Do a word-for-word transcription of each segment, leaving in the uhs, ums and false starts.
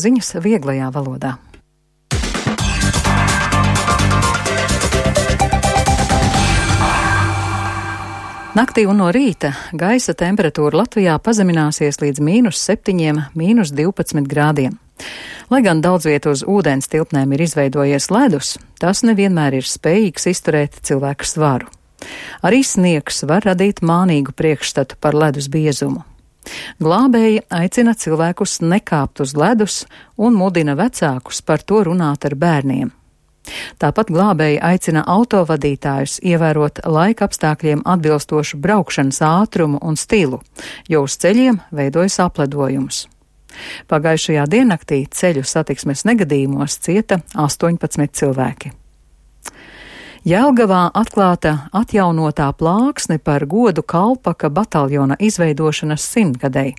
Ziņas vieglajā valodā. Naktī un no rīta gaisa temperatūra Latvijā pazemināsies līdz mīnus septiņiem, mīnus divpadsmit grādiem. Lai gan daudz vietu uz ūdens tilpnēm ir izveidojies ledus, tas nevienmēr ir spējīgs izturēt cilvēku svaru. Arī sniegs var radīt mānīgu priekšstatu par ledus biezumu. Glābēji aicina cilvēkus nekāpt uz ledus un mudina vecākus par to runāt ar bērniem. Tāpat glābēji aicina autovadītājus ievērot laika apstākļiem atbilstošu braukšanas ātrumu un stilu, jo uz ceļiem veidojas apledojums. Pagājušajā diennaktī ceļu satiksmes negadījumos cieta astoņpadsmit cilvēki. Jelgavā atklāta atjaunotā plāksne par godu Kalpaka bataljona izveidošanas simtgadei.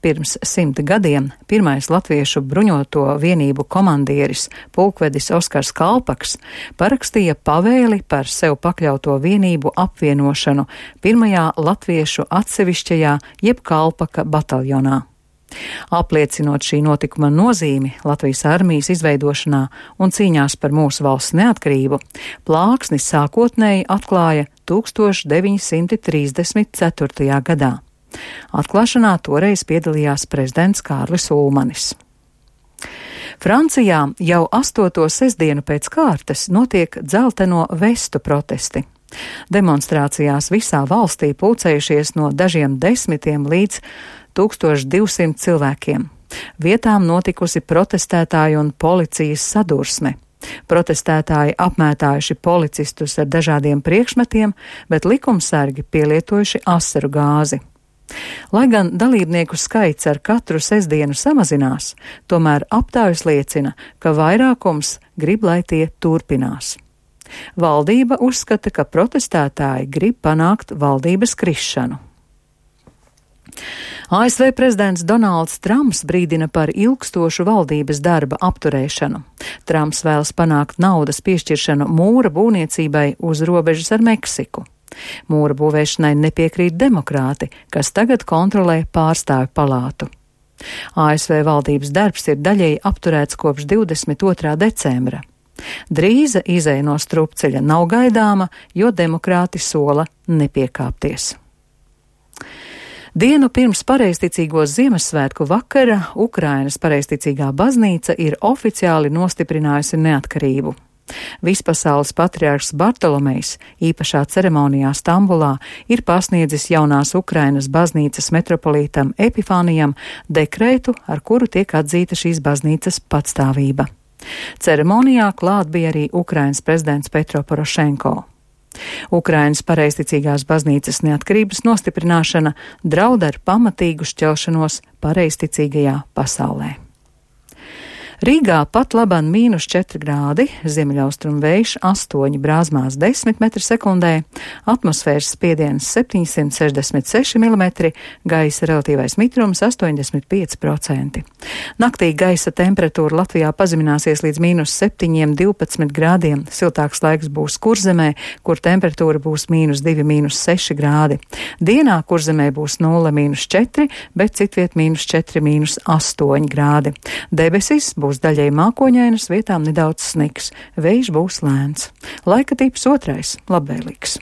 Pirms simt gadiem pirmais latviešu bruņoto vienību komandieris pulkvedis Oskars Kalpaks parakstīja pavēli par sev pakļauto vienību apvienošanu pirmajā latviešu atsevišķajā jeb Kalpaka bataljonā. Apliecinot šī notikuma nozīmi Latvijas armijas izveidošanā un cīņās par mūsu valsts neatkarību, plāksni sākotnēji atklāja tūkstoš deviņi simti trīsdesmit ceturtajā gadā. Atklāšanā toreiz piedalījās prezidents Kārlis Ulmanis. Francijā jau astoto sestdienu pēc kārtas notiek dzelteno vestu protesti. Demonstrācijās visā valstī pulcējušies no dažiem desmitiem līdz tūkstoš divsimt cilvēkiem. Vietām notikusi protestētāju un policijas sadursme. Protestētāji apmētājuši policistus ar dažādiem priekšmetiem, bet likumsargi pielietojuši asaru gāzi. Lai gan dalībnieku skaits ar katru sestdienu samazinās, tomēr aptājas liecina, ka vairākums grib, lai tie turpinās. Valdība uzskata, ka protestētāji grib panākt valdības krišanu. A S V prezidents Donalds Trumps brīdina par ilgstošu valdības darba apturēšanu. Trumps vēlas panākt naudas piešķiršanu mūra būvniecībai uz robežas ar Meksiku. Mūra būvēšanai nepiekrīt demokrāti, kas tagad kontrolē pārstāvju palātu. A S V valdības darbs ir daļēji apturēts kopš divdesmit otrā decembra. Drīza izeja no strupceļa nav gaidāma, jo demokrāti sola nepiekāpties. Dienu pirms pareizticīgo Ziemassvētku vakara Ukrainas pareizticīgā baznīca ir oficiāli nostiprinājusi neatkarību. Vispasaules patriārhs Bartolomejs īpašā ceremonijā Stambulā ir pasniedzis jaunās Ukrainas baznīcas metropolītam Epifānijam dekrētu, ar kuru tiek atzīta šīs baznīcas patstāvība. Ceremonijā klāt bija arī Ukrainas prezidents Petro Porošenko. Ukrainas pareizticīgās baznīcas neatkarības nostiprināšana draud ar pamatīgu šķelšanos pareizticīgajā pasaulē. Rīgā pat laban mīnus četri grādi, ziemeļaustrumu vējš astoņi brāzmās desmit metri sekundē, atmosfēras spiediens septiņsimt sešdesmit seši milimetri, gaisa relatīvais mitrums astoņdesmit pieci procenti. Naktī gaisa temperatūra Latvijā pazemināsies līdz mīnus septiņiem, divpadsmit grādiem, siltāks laiks būs Kurzemē, kur temperatūra būs mīnus divi, mīnus seši grādi. Dienā Kurzemē būs nulle, mīnus četri, bet citviet mīnus četri, mīnus astoņi grādi. Debesis būs Būs daļai mākoņainas, vietām nedaudz sniks, vējš būs lēns. Laika tips otrais, labvēlīgs.